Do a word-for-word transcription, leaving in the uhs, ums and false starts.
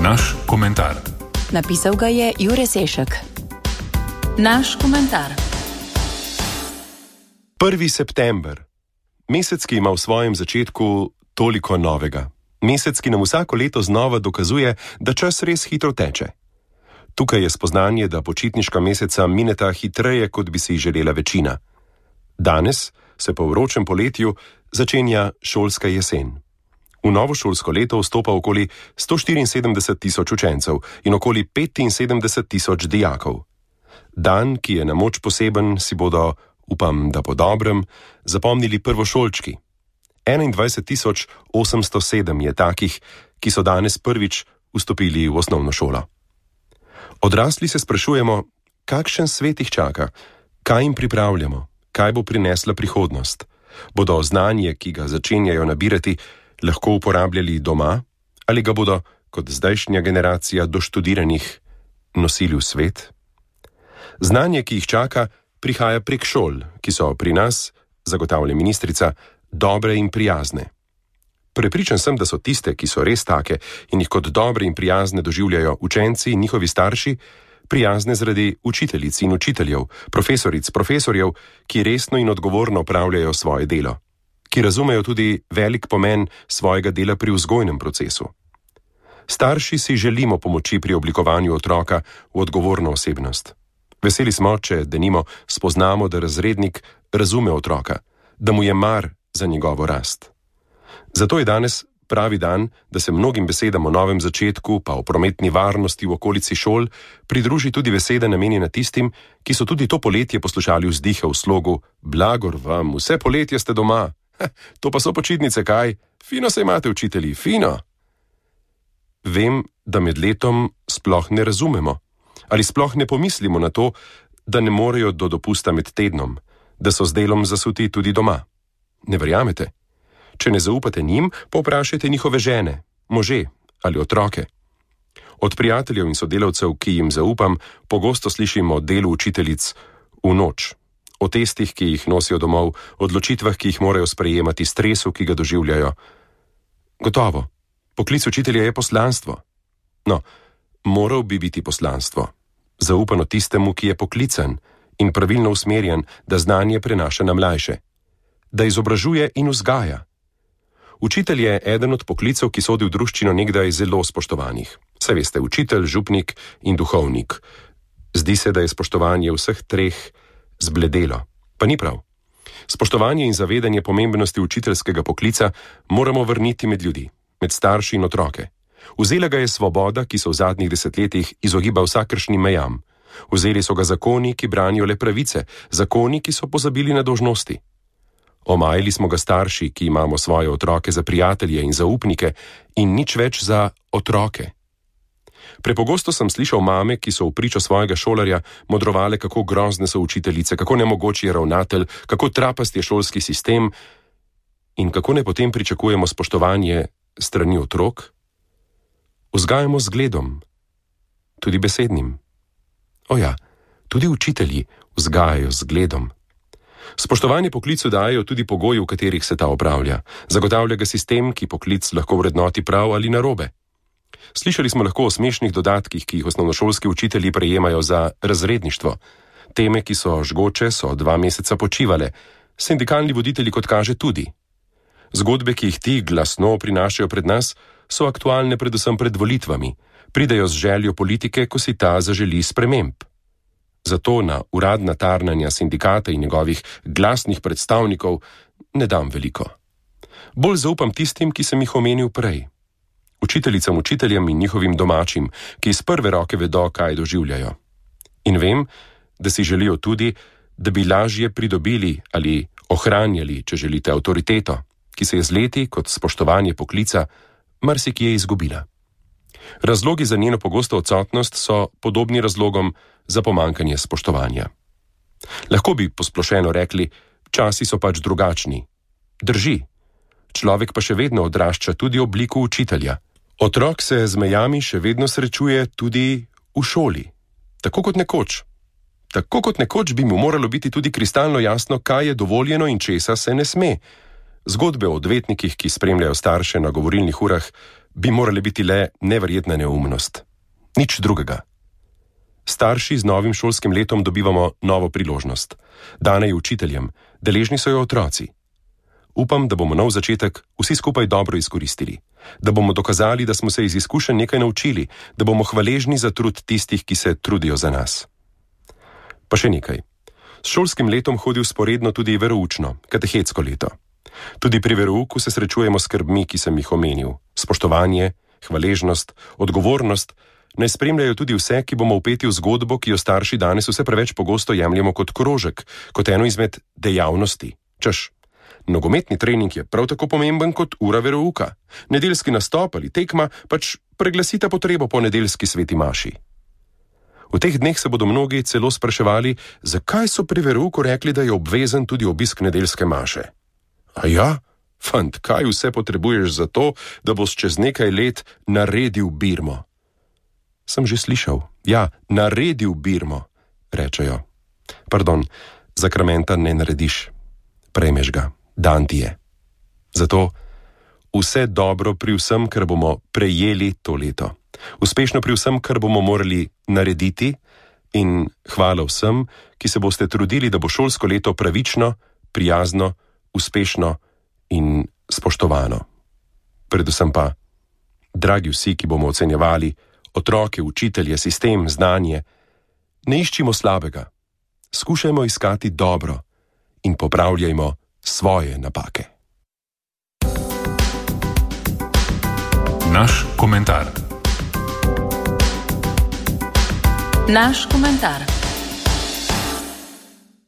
Naš komentar. Napisal ga je Jure Sešek. Naš komentar. prvi september. Mesec, ki ima v svojem začetku toliko novega. Mesec, ki nam vsako leto znova dokazuje, da čas res hitro teče. Tukaj je spoznanje, da počitniška meseca mineta hitreje, kot bi si jih želela večina. Danes se po vročem poletju začenja šolska jesen. V novo šolsko leto vstopa okoli sto štiriinsedemdeset tisoč učencev in okoli petinsedemdeset tisoč dijakov. Dan, ki je na moč poseben, si bodo, upam, da po dobrem, zapomnili prvošolčki. enaindvajset tisoč osemsto sedem je takih, ki so danes prvič vstopili v osnovno šolo. Odrasli se sprašujemo, kakšen svet jih čaka, kaj jim pripravljamo, kaj bo prinesla prihodnost. Bodo znanje, ki ga začenjajo nabirati, lahko uporabljali doma, ali ga bodo, kot zdajšnja generacija doštudiranih, nosili v svet? Znanje, ki jih čaka, prihaja prek šol, ki so pri nas, zagotavlja ministrica, dobre in prijazne. Prepričan sem, da so tiste, ki so res take in jih kot dobre in prijazne doživljajo učenci in njihovi starši, prijazne zaradi učiteljic in učiteljev, profesoric, profesorjev, ki resno in odgovorno opravljajo svoje delo, ki razumejo tudi velik pomen svojega dela pri vzgojnem procesu. Starši si želimo pomoči pri oblikovanju otroka v odgovorno osebnost. Veseli smo, če denimo spoznamo, da razrednik razume otroka, da mu je mar za njegovo rast. Zato je danes pravi dan, da se mnogim besedam o novem začetku, pa o prometni varnosti v okolici šol, pridruži tudi beseda namenjena tistim, ki so tudi to poletje poslušali vzdihe v slogu "Blagor vam, vse poletje ste doma, ha, to pa so počitnice, kaj? Fino se imate, učitelji, fino!" Vem, da med letom sploh ne razumemo, ali sploh ne pomislimo na to, da ne morejo do dopusta med tednom, da so z delom zasuti tudi doma. Ne verjamete? Če ne zaupate njim, povprašajte njihove žene, može ali otroke. Od prijateljev in sodelavcev, ki jim zaupam, pogosto slišim o delu učiteljic v noč, o testih, ki jih nosijo domov, odločitvah, ki jih morajo sprejemati, stresu, ki ga doživljajo. Gotovo, poklic učitelja je poslanstvo. No, moral bi biti poslanstvo, zaupano tistemu, ki je poklican in pravilno usmerjen, da znanje prenaša na mlajše, da izobražuje in vzgaja. Učitelj je eden od poklicev, ki sodi v druščino nekdaj zelo spoštovanih. Saj veste, učitelj, župnik in duhovnik. Zdi se, da je spoštovanje vseh treh zbledelo. Pa ni prav. Spoštovanje in zavedanje pomembnosti učiteljskega poklica moramo vrniti med ljudi, med starši in otroke. Vzela ga je svoboda, ki so v zadnjih desetletjih izogiba vsakršnim mejam. Vzeli so ga zakoni, ki branijo le pravice, zakoni, ki so pozabili na dolžnosti. Omajili smo ga starši, ki imamo svoje otroke za prijatelje in zaupnike in nič več za otroke. Prepogosto sem slišal mame, ki so v pričo svojega šolarja modrovale, kako grozne so učiteljice, kako nemogoč je ravnatelj, kako trapast je šolski sistem in kako ne potem pričakujemo spoštovanje strani otrok. Vzgajamo z gledom, tudi besednim. O ja, tudi učitelji vzgajajo z gledom. Spoštovanje poklicu dajo tudi pogoji, v katerih se ta opravlja. Zagotavlja ga sistem, ki poklic lahko vrednoti prav ali narobe. Slišali smo lahko o smešnih dodatkih, ki jih osnovnošolski učitelji prejemajo za razredništvo. Teme, ki so žgoče, so dva meseca počivale. Sindikalni voditelji, kot kaže, tudi. Zgodbe, ki jih ti glasno prinašajo pred nas, so aktualne predvsem pred volitvami. Pridejo z željo politike, ko si ta zaželi sprememb. Zato na uradna tarnanja sindikata in njegovih glasnih predstavnikov ne dam veliko. Bolj zaupam tistim, ki sem jih omenil prej. Učiteljicam, učiteljem in njihovim domačim, ki iz prve roke vedo, kaj doživljajo. In vem, da si želijo tudi, da bi lažje pridobili ali ohranjali, če želite, avtoriteto, ki se je z leti, kot spoštovanje poklica, marsikje izgubila. Razlogi za njeno pogosto odsotnost so podobni razlogom za pomankanje spoštovanja. Lahko bi posplošeno rekli, časi so pač drugačni. Drži. Človek pa še vedno odrašča tudi v obliku učitelja. Otrok se z mejami še vedno srečuje tudi v šoli. Tako kot nekoč. Tako kot nekoč bi mu moralo biti tudi kristalno jasno, kaj je dovoljeno in česa se ne sme. Zgodbe o odvetnikih, ki spremljajo starše na govorilnih urah, bi morale biti le neverjetna neumnost. Nič drugega. Starši z novim šolskim letom dobivamo novo priložnost. Dana je učiteljem, deležni so jo otroci. Upam, da bomo nov začetek vsi skupaj dobro izkoristili, da bomo dokazali, da smo se iz izkušenj nekaj naučili, da bomo hvaležni za trud tistih, ki se trudijo za nas. Pa še nekaj. S šolskim letom hodi vzporedno tudi veroučno, katehetsko leto. Tudi pri verouku se srečujemo s skrbmi, ki sem jih omenil. Spoštovanje, hvaležnost, odgovornost naj spremljajo tudi vse, ki bomo vpeti v zgodbo, ki jo starši danes vse preveč pogosto jemljemo kot krožek, kot eno izmed dejavnosti. Češ, nogometni trening je prav tako pomemben kot ura verouka. Nedeljski nastop ali tekma pač preglasita potrebo po nedeljski sveti maši. V teh dneh se bodo mnogi celo spraševali, zakaj so pri verouku rekli, da je obvezen tudi obisk nedeljske maše. A ja, fant, kaj vse potrebuješ za to, da boš čez nekaj let naredil birmo? Sem že slišal. Ja, naredil birmo, rečejo. Pardon, zakramenta ne narediš. Prejmeš ga, dan ti je. Zato vse dobro pri vsem, kar bomo prejeli to leto. Uspešno pri vsem, kar bomo morali narediti, in hvala vsem, ki se boste trudili, da bo šolsko leto pravično, prijazno, uspešno in spoštovano. Predvsem pa, dragi vsi, ki bomo ocenjevali otroke, učitelje, sistem, znanje, ne iščimo slabega. Skušajmo iskati dobro in popravljajmo svoje napake. Naš komentar. Naš komentar.